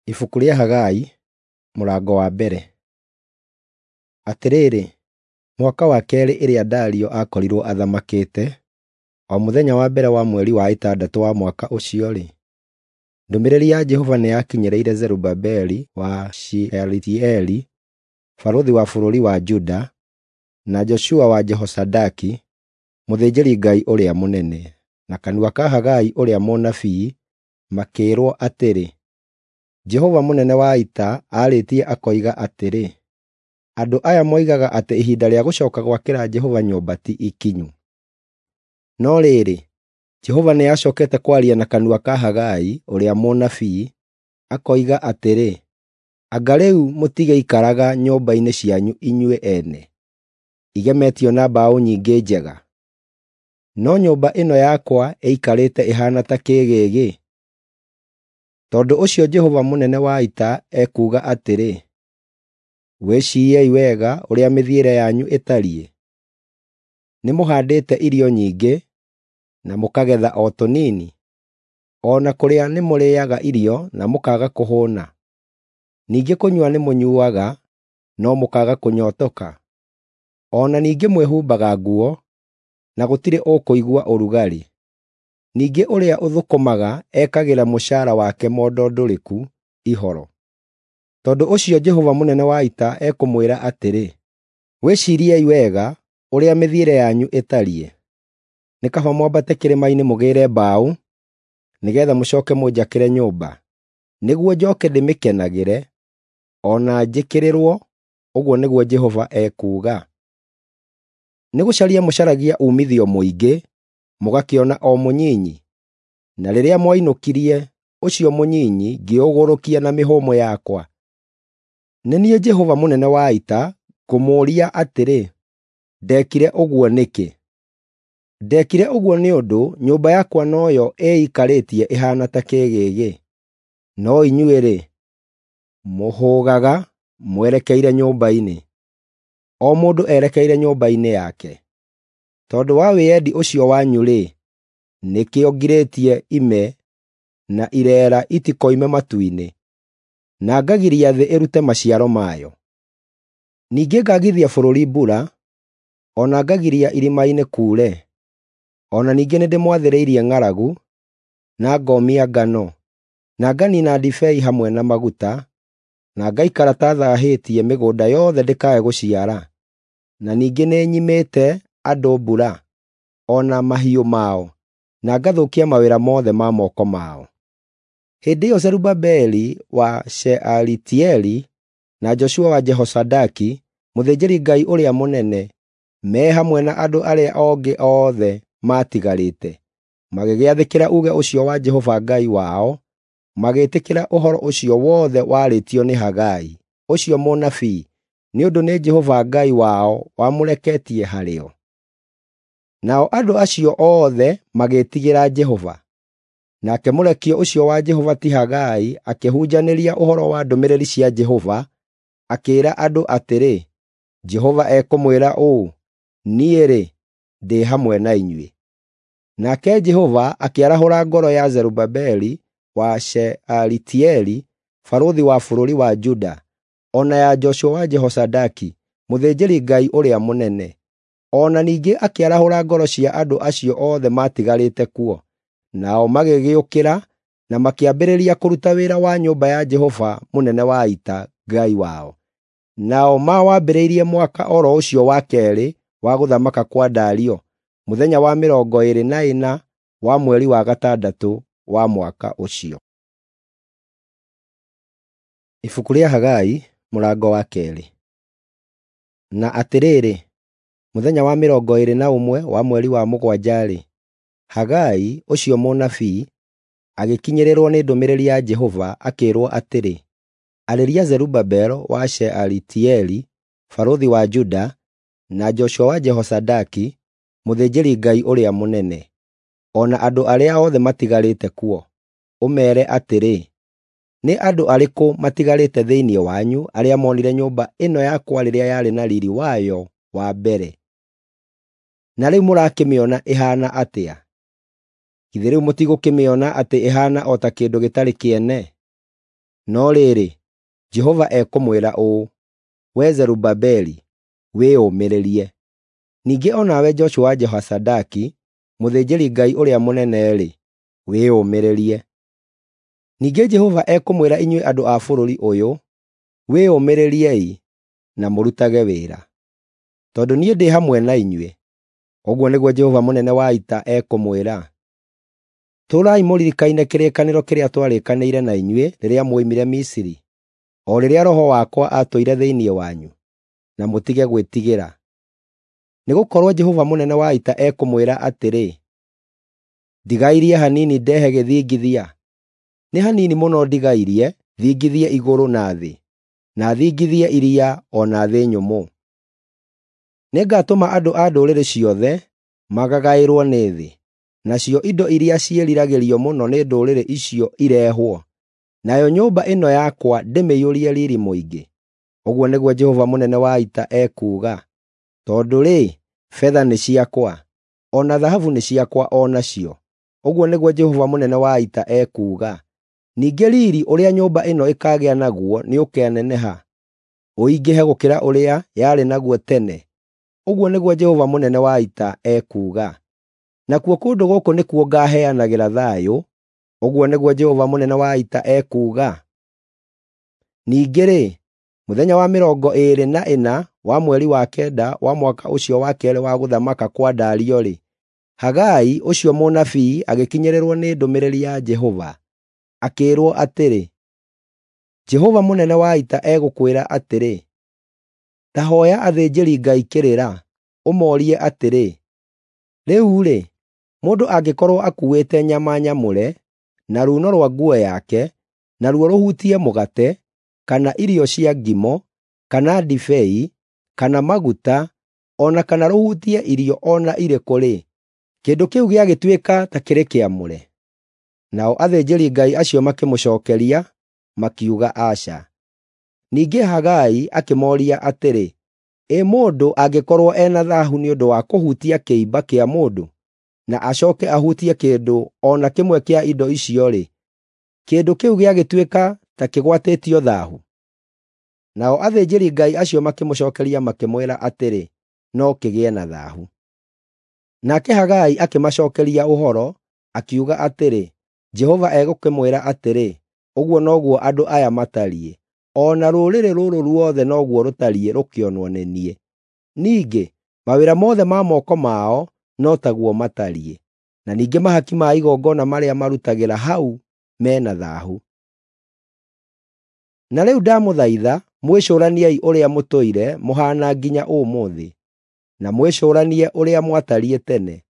Ibuku rĩa Hagai, mũrango wa mbere. Atĩrĩrĩ, mwaka wa keerĩ ĩrĩa Dario aakorirwo athamakĩte, o mũthenya wa mbere wa mweri wa ĩtandatũ wa mwaka ũcio-rĩ, ndũmĩrĩri ya Jehova nĩyakinyĩrĩire Zerubabeli wa Shealitieli, barũthi wa bũrũri wa Juda, na Joshua wa Jehozadaki, mũthĩnjĩri-Ngai ũrĩa mũnene, na kanua ka Hagai ũrĩa mũnabii, makĩĩrwo atĩrĩ, Jehova mũnene wa ita aarĩtie akoiga atĩrĩ, “Andũ aya moigaga atĩ ihinda rĩa gũcooka gwakĩra Jehova nyũmba ti ikinyu.” No rĩrĩ, Jehova nĩacookete kwaria na kanua ka Hagai ũrĩa mũnabii, akoiga atĩrĩ, “Anga rĩu mũtigĩikaraga nyũmba-inĩ cianyu inyuĩ ene, igemetio na mbaũ nyingĩ njega? No nyũmba ĩno yakwa ĩikarĩte ĩhaana ta kĩĩgĩgĩ?” Tondũ ũcio Jehova mũnene wa ita ekuuga atĩrĩ, “Wĩciiriei wega ũrĩa mĩthiĩre yanyu ĩtariĩ. Nĩmũhaandĩte irio nyingĩ, na mũkagetha o tũnini; o na kũrĩa nĩmũrĩĩaga irio na mũkaaga kũhũũna. Ningĩ kũnyua nĩmũnyuuaga, no mũkaaga kũnyootoka. O na ningĩ mwĩhumbaga nguo, na gũtirĩ ũkũigua ũrugarĩ. Ningĩ ũrĩa ũthũkũmaga ekagĩra mũcaara wake mondo ndũrĩku ihoro. Tondũ ũcio Jehova mũnene wa ita ekũmwĩra atĩrĩ, wĩciiriei wega ũrĩa mĩthiĩre yanyu ĩtariĩ. Nĩ kaba mwambate kĩrĩma-inĩ mũgĩĩre mbaũ, nĩgeetha mũcooke mũnjakĩre nyũmba, nĩguo njooke ndĩmĩkenagĩre, o na njĩkĩrĩrwo, ũguo nĩguo Jehova ekuuga. Nĩgũcaria mũcaragia uumithio mũingĩ, mũgakĩona o mũnyinyi, na rĩrĩa mwainũkirie ũcio mũnyinyi ngĩũgũrũkia na mĩhũmũ yakwa. Nĩ niĩ Jehova mũnene wa ita ngũmũũria atĩrĩ, ndeekire ũguo nĩkĩ? Ndeekire ũguo nĩ ũndũ nyũmba yakwa noyo ĩikarĩtie ĩhaana ta kĩĩgĩgĩ. No inyuĩ-rĩ, mũhũgaga mwerekeire nyũmba-inĩ, o mũndũ erekeire nyũmba-inĩ yake. Tondũ wa wĩyendi ũcio wanyu-rĩ, nĩkĩo ngirĩtie ime na ireera itikoime matu-inĩ, na ngagiria thĩ ĩrute maciaro mayo. Ningĩ ngaagithia bũrũri mbura, o na ngagiria irĩma-inĩ kuure. O na ningĩ nĩndĩmwathĩrĩirie ng'aragu, na ngoomia ngano, na nganiina ndibei hamwe na maguta, na ngaikara ta thaahĩtie mĩgũnda yothe ndĩkae gũciara. Na ningĩ nĩnyimĩte andũ mbura, o na mahiũ mao, na ngathũkia mawĩra mothe ma moko mao. Hĩndĩ ĩyo Zerubabeli wa Shealitieli na Joshua wa Jehozadaki, mũthĩnjĩri-Ngai ũrĩa mũnene, me hamwe na andũ arĩa angĩ othe maatigarĩte, magĩgĩathĩkĩra uuge ũcio wa Jehova Ngai wao, magĩĩtĩkĩra ũhoro ũcio wothe waarĩtio nĩ Hagai, ũcio mũnabii, nĩ ũndũ nĩ Jehova Ngai wao wamũreketie harĩo. Nao andũ acio othe magĩĩtigĩra Jehova. Nake mũrekio ũcio wa Jehova ti Hagai akĩhunjanĩria ũhoro wa ndũmĩrĩri cia Jehova, akĩĩra andũ atĩrĩ, “Jehova ekũmwĩra ũũ, niĩ-rĩ, ndĩ hamwe na inyuĩ.” Nake Jehova akĩarahũra ngoro ya Zerubabeli wa Shealitieli, barũthi wa bũrũri wa Juda, o na ya Joshua wa Jehozadaki, mũthĩnjĩri-Ngai ũrĩa mũnene. O na ningĩ akĩarahũra ngoro cia andũ acio othe maatigarĩte kuo, nao magĩgĩũkĩra na makĩambĩrĩria kũruta wĩra wa nyũmba ya Jehova mũnene wa ita, Ngai wao. Nao mawambĩrĩirie mwaka o ro ũcio wa keerĩ wa gũthamaka kwa Dario, mũthenya wa 24 wa mweri wa gatandatũ wa mwaka ũcio. Ibuku rĩa Hagai, mũrango wa keerĩ. Na atĩrĩrĩ, mũthenya wa 21 wa mweri wa mũgwanja-rĩ, Hagai ũcio mũnabii agĩkinyĩrĩrwo nĩ ndũmĩrĩri ya Jehova akĩĩrwo atĩrĩ, “Arĩria Zerubabeli wa Shealitieli, barũthi wa Juda, na Joshua wa Jehozadaki, mũthĩnjĩri-Ngai ũrĩa mũnene, o na andũ arĩa othe matigarĩte kuo, ũmeere atĩrĩ, ‘Nĩ andũ arĩkũ matigarĩte thĩinĩ wanyu arĩa moonire nyũmba ĩno yakwa rĩrĩa yarĩ na riiri wayo wa mbere? Na rĩu mũrakĩmĩona ĩhaana atĩa? Githĩ rĩu mũtigũkĩmĩona atĩ ĩhaana o ta kĩndũ gĩtarĩ kĩene? No rĩrĩ, Jehova ekũmwĩra ũũ, wee Zerubabeli, wĩyũmĩrĩrie. Ningĩ o nawe Joshua wa Jehozaadaki, mũthĩnjĩri-Ngai ũrĩa mũnene-rĩ, wĩyũmĩrĩrie. Ningĩ Jehova ekũmwĩra inyuĩ andũ a bũrũri ũyũ, wĩyũmĩrĩriei na mũrutage wĩra, tondũ niĩ ndĩ hamwe na inyuĩ, ũguo nĩguo Jehova mũnene wa ita ekũmwĩra. Tũũrai mũririkaine kĩrĩkanĩro kĩrĩa twarĩkanĩire na inyuĩ rĩrĩa mwoimire Misiri, o rĩrĩa Roho wakwa aatũire thĩinĩ wanyu, na mũtige gwĩtigĩra. Nĩgũkorwo Jehova mũnene wa ita ekũmwĩra atĩrĩ, ndigairie hanini ndehe gĩthingithia, nĩ hanini mũno ndigairie thingithie igũrũ na thĩ, na thingithie iria o na thĩ nyũmũ. Nĩngatũma andũ a ndũrĩrĩ ciothe magagaĩrwo nĩ thĩ, nacio indo iria ciĩriragĩrio mũno nĩ ndũrĩrĩ icio irehwo, nayo nyũmba ĩno yakwa ndĩmĩiyũrie riiri mũingĩ, ũguo nĩguo Jehova mũnene wa ita ekuuga. Tondũ-rĩ, betha nĩ ciakwa, o na thahabu nĩ ciakwa o nacio, ũguo nĩguo Jehova mũnene wa ita ekuuga. Ningĩ riiri ũrĩa nyũmba ĩno ĩkaagĩa naguo nĩũkaneneha, ũingĩhe gũkĩra ũrĩa yarĩ naguo tene, ũguo nĩguo Jehova mũnene wa ita ekuuga. Nakuo kũndũ gũkũ nĩkuo ngaaheanagĩra thayũ, ũguo nĩguo Jehova mũnene wa ita ekuuga. Ningĩ-rĩ, mũthenya wa 24 wa mweri wa kenda wa mwaka ũcio wa keerĩ wa gũthamaka kwa Dario-rĩ, Hagai ũcio mũnabii agĩkinyĩrĩrwo nĩ ndũmĩrĩri ya Jehova, akĩĩrwo atĩrĩ, Jehova mũnene wa ita egũkwĩra atĩrĩ, ta hooya athĩnjĩri-Ngai kĩrĩra, ũmoorie atĩrĩ, rĩu-rĩ, mũndũ angĩkorwo akuuĩte nyama nyamũre na ruuno rwa nguo yake, naruo rũhutie mũgate, kana irio cia ngimo, kana ndibei, kana maguta, o na kana rũhutie irio o na irĩkũ-rĩ, kĩndũ kĩu gĩagĩtuĩka ta kĩrĩ kĩamũre?” Nao athĩnjĩri-Ngai acio makĩmũcookeria, makiuga aca. Ningĩ Hagai akĩmooria atĩrĩ, ĩ mũndũ angĩkorwo ena thaahu nĩ ũndũ wa kũhutia kĩimba kĩa mũndũ, na acooke ahutie kĩndũ o na kĩmwe kĩa indo icio-rĩ, kĩndũ kĩu gĩagĩtuĩka ta kĩgwatĩtio thaahu? Nao athĩnjĩri-Ngai acio makĩmũcookeria makĩmwĩra atĩrĩ, no kĩgĩe na thaahu. Nake Hagai akĩmacookeria ũhoro, akiuga atĩrĩ, Jehova egũkĩmwĩra atĩrĩ, ũguo noguo andũ aya matariĩ, o na rũrĩrĩ rũrũ ruothe noguo rũtariĩ rũkĩonwo nĩ niĩ. Ningĩ mawĩra mothe ma moko mao no taguo matariĩ, na ningĩ mahaki ma igongona marĩa marutagĩra hau me na thaahu. Na rĩu ndamũthaitha mwĩcũraniei ũrĩa mũtũire mũhaana nginya ũmũthĩ, na mwĩcũranie ũrĩa mwatariĩ tene,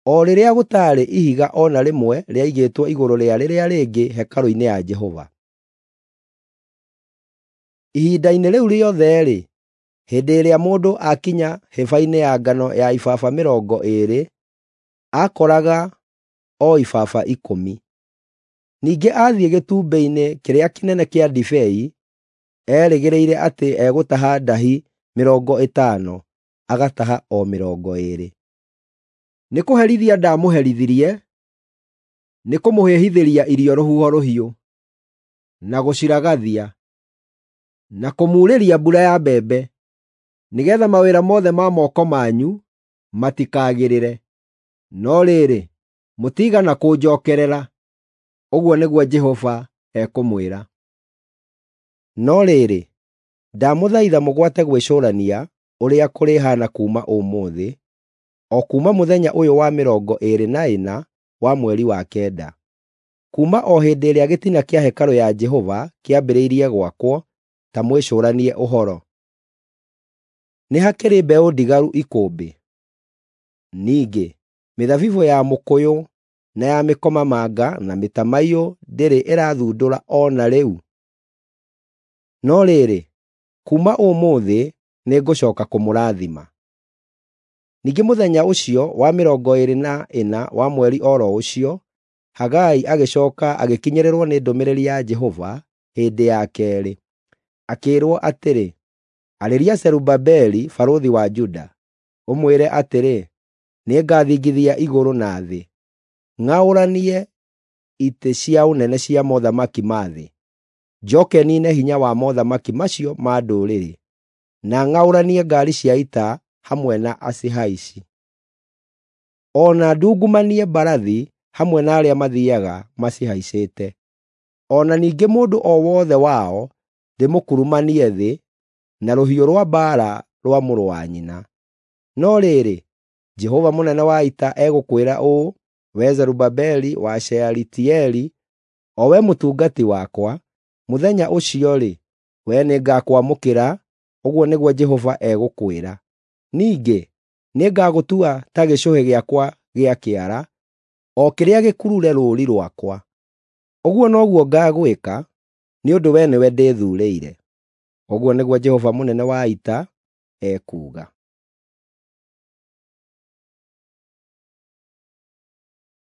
o rĩrĩa gũtaarĩ ihiga o na rĩmwe rĩaigĩtwo igũrũ rĩa rĩrĩa rĩngĩ hekarũ-inĩ ya Jehova. Ihinda-inĩ rĩu rĩothe-rĩ, hĩndĩ ĩrĩa mũndũ aakinya hĩba-inĩ ya ngano ya ibaba 20, aakoraga o ibaba 10. Ningĩ aathiĩ gĩtumbĩ-inĩ kĩrĩa kĩnene kĩa ndibei, erĩgĩrĩire atĩ egũtaha ndahi 50, agataha o 20. Nĩkũherithia ndaamũherithirie, nĩkũmũhĩhithĩria irio rũhuho rũhiũ, na gũciragathia, na kũmuurĩria mbura ya mbembe, nĩgeetha mawĩra mothe ma moko manyu matikagĩrĩre. No rĩrĩ, mũtiigana kũnjookerera, ũguo nĩguo Jehova ekũmwĩra. No rĩrĩ, ndamũthaitha mũgwate gwĩcũrania ũrĩa kũrĩhaana kuuma ũmũthĩ, o kuuma mũthenya ũyũ wa 24 wa mweri wa kenda, kuuma o hĩndĩ ĩrĩa gĩtina kĩa hekarũ ya Jehova kĩambĩrĩirie gwakwo, ta mwĩcũranie ũhoro. Nĩ hakĩrĩ mbeũ ndigaru ikũmbĩ? Ningĩ mĩthabibũ ya mũkũyũ na ya mĩkomamanga na mĩtamaiyũ ndĩrĩ ĩrathundũra o na rĩu? No rĩrĩ, kuuma ũmũthĩ nĩngũcooka kũmũrathima. Ningĩ mũthenya ũcio wa 24 wa mweri o ro ũcio, Hagai agĩcooka agĩkinyĩrĩrwo nĩ ndũmĩrĩri ya Jehova hĩndĩ ya keerĩ, akĩĩrwo atĩrĩ, “Arĩria Zerubabeli barũthi wa Juda, ũmwĩre atĩrĩ, nĩngathingithia igũrũ na thĩ, ng'aũranie itĩ cia ũnene cia mothamaki ma thĩ. njooke niine hinya wa mothamaki macio ma ndũrĩrĩ, na ng'aũranie ngaari cia ita hamwe na acihaici. O na ndungumanie mbarathi hamwe na arĩa mathiiaga macihaicĩte. O na ningĩ mũndũ o wothe wao ndĩmũkurumanie thĩ na rũhiũ rwa mbaara rwa mũrũ wa nyina. No rĩrĩ, Jehova mũnene wa ita egũkwĩra ũũ, wee Zerubabeli wa Shealitieli, o we mũtungati wakwa, mũthenya ũcio-rĩ, wee nĩngakwamũkĩra, ũguo nĩguo Jehova egũkwĩra. Ningĩ nĩngagũtua ta gĩcũhĩ gĩakwa gĩa kĩara, o kĩrĩa gĩkurure rũũri rwakwa. Ũguo noguo ngaagwĩka, nĩ ũndũ wee nĩwe ndĩthuurĩire, ũguo nĩguo Jehova mũnene wa ita ekuuga.